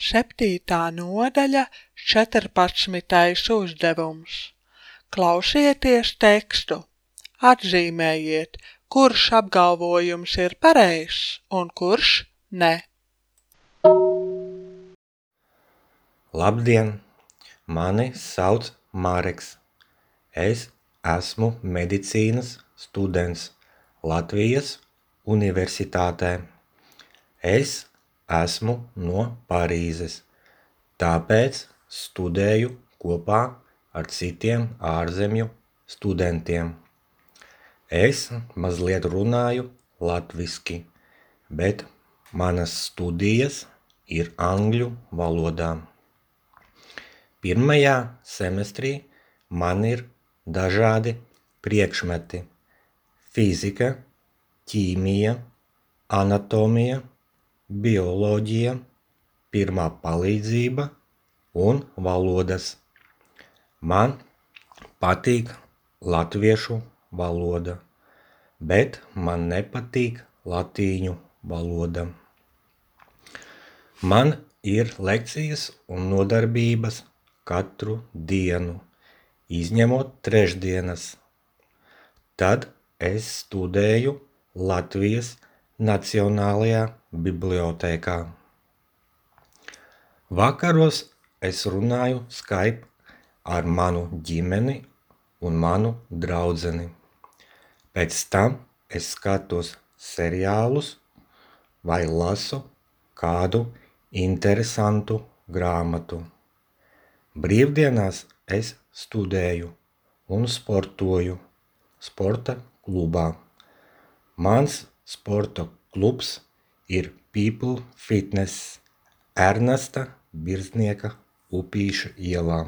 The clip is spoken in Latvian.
7. nodaļa, 14. uzdevums. Klausieties tekstu. Atzīmējiet, kurš apgalvojums ir pareizs un kurš ne. Labdien! Mani sauc Mareks. Es esmu medicīnas students Latvijas Universitātē. Es esmu no Parīzes, tāpēc studēju kopā ar citiem ārzemju studentiem. Es mazliet runāju latviski, bet manas studijas ir angļu valodā. Pirmajā semestrī man ir dažādi priekšmeti – fizika, ķīmija, anatomija, bioloģija, pirmā palīdzība un valodas. Man patīk latviešu valoda, bet man nepatīk latīņu valoda. Man ir lekcijas un nodarbības katru dienu, izņemot trešdienas. Tad es studēju Latvijas Nacionālajā bibliotēkā. Vakaros es runāju Skype ar manu ģimeni un manu draudzeni. Pēc tam es skatos seriālus vai lasu kādu interesantu grāmatu. Brīvdienās es studēju un sportoju sporta klubā. Mans sporta klubs ir People Fitness Ernesta Birznieka Upīša ielā.